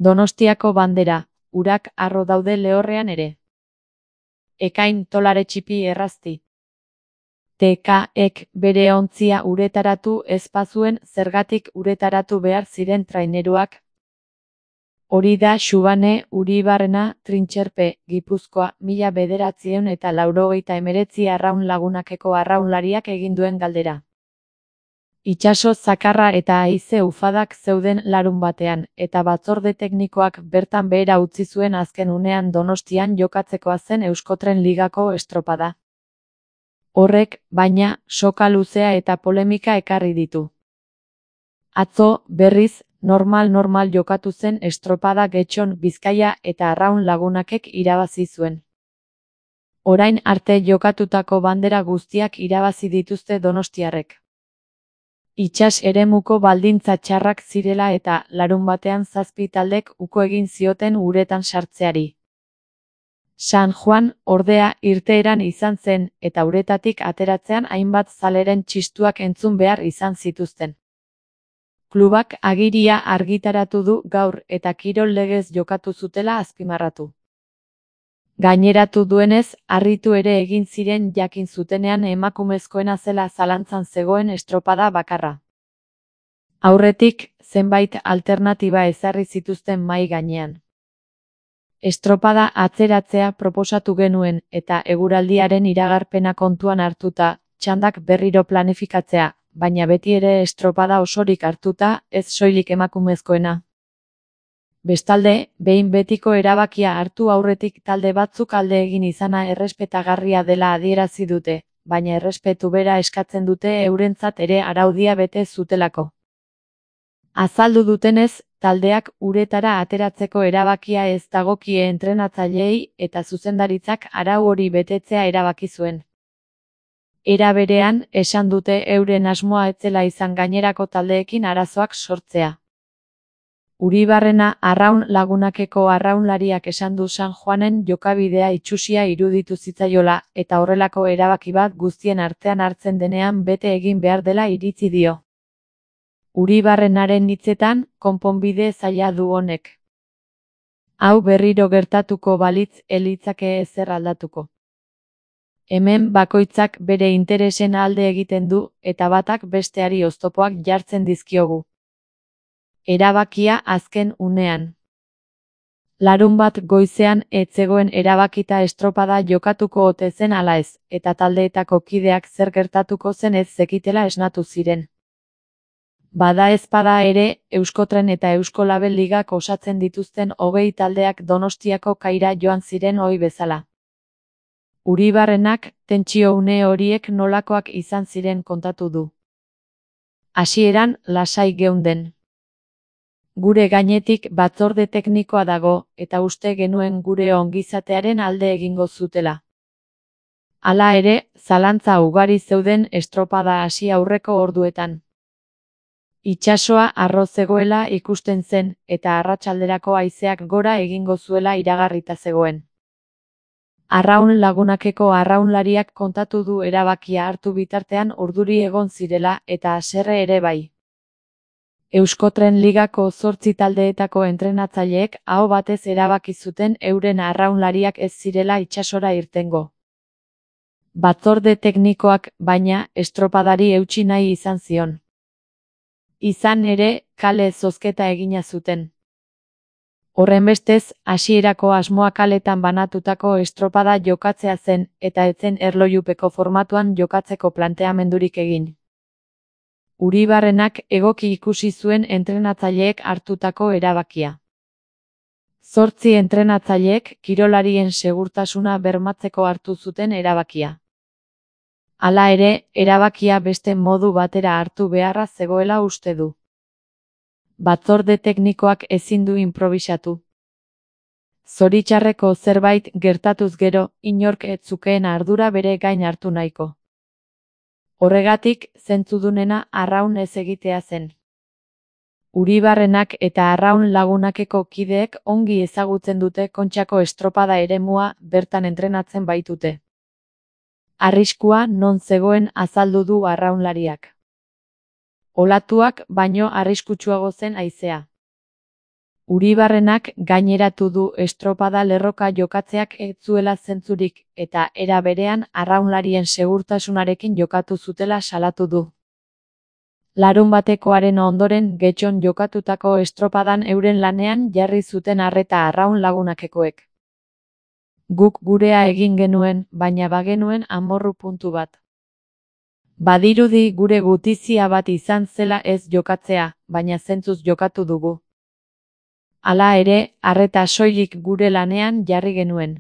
Donostiako bandera, urak harro daude lehorrean ere. Ekain tolare txipi errazti. TK-ek bere ontzia uretaratu ez bazuen zergatik uretaratu behar ziren traineruak. Hori da Xubane Uribarrena Trintxerpe, Gipuzkoa, 1989 Arraun Lagunakeko arraunlariak egin duen galdera. Itsaso zakarra eta haize ufadak zeuden larunbatean, eta batzorde teknikoak bertan behera utzi zuen azken unean Donostian jokatzekoa zen Euskotren Ligako estropada. Horrek, baina, soka luzea eta polemika ekarri ditu. Atzo, berriz, normal jokatu zen estropada Getxon Bizkaia eta Arraun Lagunakek irabazi zuen. Orain arte jokatutako bandera guztiak irabazi dituzte donostiarrek. Itsas eremuko baldintza txarrak zirela eta larunbatean 7 taldek uko egin zioten uretan sartzeari. San Juan, ordea, irteeran izan zen, eta uretatik ateratzean hainbat zaleren txistuak entzun behar izan zituzten. Klubak agiria argitaratu du gaur eta kirol legez jokatu zutela azpimarratu. Gaineratu duenez, harritu ere egin ziren jakin zutenean emakumezkoena zela zalantzan zegoen estropada bakarra. Aurretik, zenbait alternatiba ezarri zituzten mahai gainean. Estropada atzeratzea proposatu genuen eta eguraldiaren iragarpena kontuan hartuta, txandak berriro planifikatzea, baina beti ere estropada osorik hartuta, ez soilik emakumezkoena. Bestalde, behin betiko erabakia hartu aurretik talde batzuk alde egin izana errespetagarria dela adierazi dute, baina errespetu bera eskatzen dute eurentzat ere araudia bete zutelako. Azaldu dutenez, taldeak uretara ateratzeko erabakia ez dagokie entrenatzaileei eta zuzendaritzak arau hori betetzea erabaki zuen. Era berean, esan dute euren asmoa ez zela izan gainerako taldeekin arazoak sortzea. Uribarrena Arraun Lagunakeko arraunlariak esan du San Juanen jokabidea itsusia iruditu zitzaiola eta horrelako erabaki bat guztien artean hartzen denean bete egin behar dela iritzi dio. Uribarrenaren hitzetan, konponbide zaila du honek. Hau berriro gertatuko balitz ez litzake ezer aldatuko. Hemen bakoitzak bere interesen alde egiten du eta batak besteari oztopoak jartzen dizkiogu. Erabakia azken unean. Larunbat goizean ez zegoen erabakita estropada jokatuko ote zen ala ez, eta taldeetako kideak zer gertatuko zen ez zekitela esnatu ziren. Bada ezpada ere, Euskotren eta Euskolabel ligak osatzen dituzten 20 taldeak Donostiako kaira joan ziren ohi bezala. Uribarrenak, tentsio une horiek nolakoak izan ziren kontatu du. Hasieran, lasai geunden. Gure gainetik batzorde teknikoa dago, eta uste genuen gure ongizatearen alde egingo zutela. Hala ere, zalantza ugari zeuden estropada hasi aurreko orduetan. Itsasoa harro zegoela ikusten zen, eta arratsalderako haizeak gora egingo zuela iragarrita zegoen. Arraun Lagunakeko arraunlariak kontatu du erabakia hartu bitartean urduri egon zirela eta haserre ere bai. Euskotren Ligako 8 taldeetako entrenatzaileek aho batez erabaki zuten euren arraunlariak ez zirela itsasora irtengo. Batzorde teknikoak, baina, estropadari eutsi nahi izan zion. Izan ere, kale zozketa egina zuten. Horrenbestez, hasierako asmoa kaletan banatutako estropada jokatzea zen, eta ez zen erlojupeko formatuan jokatzeko planteamendurik egin. Uribarrenak egoki ikusi zuen entrenatzaileek hartutako erabakia. 8 entrenatzaileek kirolarien segurtasuna bermatzeko hartu zuten erabakia. Hala ere, erabakia beste modu batera hartu beharra zegoela uste du. Batzorde teknikoak ezin du inprobisatu. Zoritxarreko zerbait gertatuz gero, inork ez zukeen ardura bere gain hartu nahiko. Horregatik, zentzudunena arraun ez egitea zen. Uribarrenak eta Arraun Lagunakeko kideek ongi ezagutzen dute Kontxako estropada eremua bertan entrenatzen baitute. Arriskua non zegoen azaldu du arraunlariak. Olatuak baino arriskutsuago zen haizea. Uribarrenak gaineratu du estropada lerroka jokatzeak ez zuela zentzurik eta era berean arraunlarien segurtasunarekin jokatu zutela salatu du. Larunbatekoaren ondoren Getxon jokatutako estropadan euren lanean jarri zuten arreta arraun lagunakekoek. Guk gurea egin genuen, baina bagenuen amorru puntu bat. Badirudi gure gutizia bat izan zela ez jokatzea, baina zentzuz jokatu dugu. Hala ere, arreta soilik gure lanean jarri genuen.